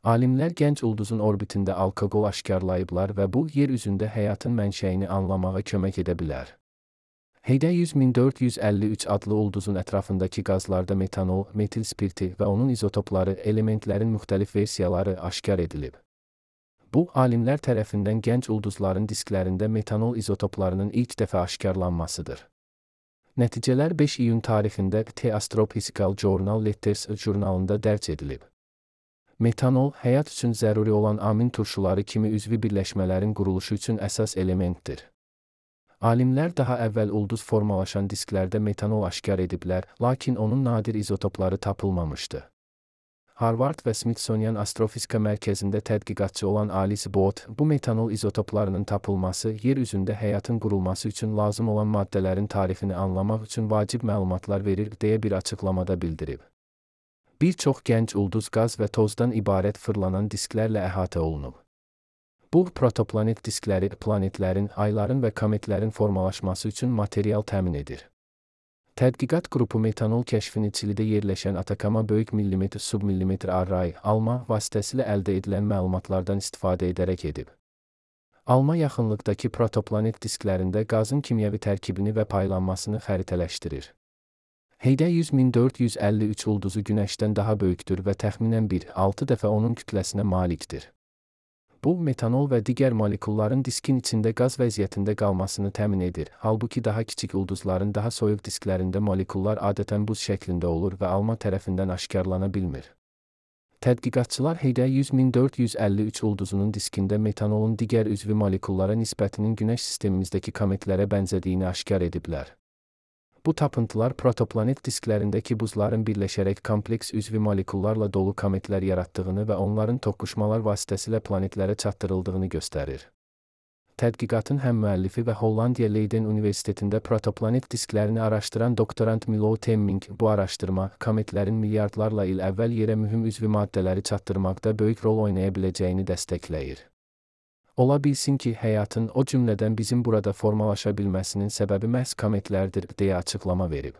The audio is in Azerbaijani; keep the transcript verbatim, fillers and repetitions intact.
Alimlər gənc ulduzun orbitində alkoqol aşkarlayıblar və bu, yer üzündə həyatın mənşəyini anlamağa kömək edə bilər. Heydə yüz min dörd yüz əlli üç adlı ulduzun ətrafındakı qazlarda metanol, metil spirti və onun izotopları, elementlərin müxtəlif versiyaları aşkar edilib. Bu, alimlər tərəfindən gənc ulduzların disklərində metanol izotoplarının ilk dəfə aşkarlanmasıdır. Nəticələr beş iyun tarixində The Astrophysical Journal Letters jurnalında dərc edilib. Metanol, həyat üçün zəruri olan amin turşuları kimi üzvi birləşmələrin quruluşu üçün əsas elementdir. Alimlər daha əvvəl ulduz formalaşan disklərdə metanol aşkar ediblər, lakin onun nadir izotopları tapılmamışdı. Harvard və Smithsonian Astrofizika Mərkəzində tədqiqatçı olan Alice Bott, bu metanol izotoplarının tapılması, yer üzündə həyatın qurulması üçün lazım olan maddələrin tarixini anlamaq üçün vacib məlumatlar verir deyə bir açıqlamada bildirib. Bir çox gənc ulduz qaz və tozdan ibarət fırlanan disklərlə əhatə olunub. Bu, protoplanet diskləri, planetlərin, ayların və kometlərin formalaşması üçün material təmin edir. Tədqiqat qrupu metanol kəşfini Çilidə yerləşən Atakama böyük millimetr submillimetr array, alma vasitəsilə əldə edilən məlumatlardan istifadə edərək edib. Alma yaxınlıqdakı protoplanet disklərində qazın kimyəvi tərkibini və paylanmasını xəritələşdirir. Heydə yüz min dörd yüz əlli üç ulduzu Günəşdən daha böyükdür və təxminən bir nöqtə altı dəfə onun kütləsinə malikdir. Bu, metanol və digər molekulların diskin içində qaz vəziyyətində qalmasını təmin edir, halbuki daha kiçik ulduzların daha soyuq disklərində molekullar adətən buz şəklində olur və alma tərəfindən aşkarlana bilmir. Tədqiqatçılar Heydə yüz min dörd yüz əlli üç ulduzunun diskində metanolun digər üzvi molekullara nisbətinin Günəş sistemimizdəki kometlərə bənzədiyini aşkar ediblər. Bu tapıntılar protoplanet disklərindəki buzların birləşərək kompleks üzvi molekullarla dolu kometlər yaratdığını və onların toqquşmalar vasitəsilə planetlərə çatdırıldığını göstərir. Tədqiqatın həm müəllifi və Hollandiya Leiden Universitetində protoplanet disklərini araşdıran doktorant Milo Temming, bu araşdırma, kometlərin milyardlarla il əvvəl yerə mühüm üzvi maddələri çatdırmaqda böyük rol oynaya biləcəyini dəstəkləyir. Ola bilsin ki, həyatın, o cümlədən bizim burada formalaşa bilməsinin səbəbi məhz kometlərdir, deyə açıqlama verib.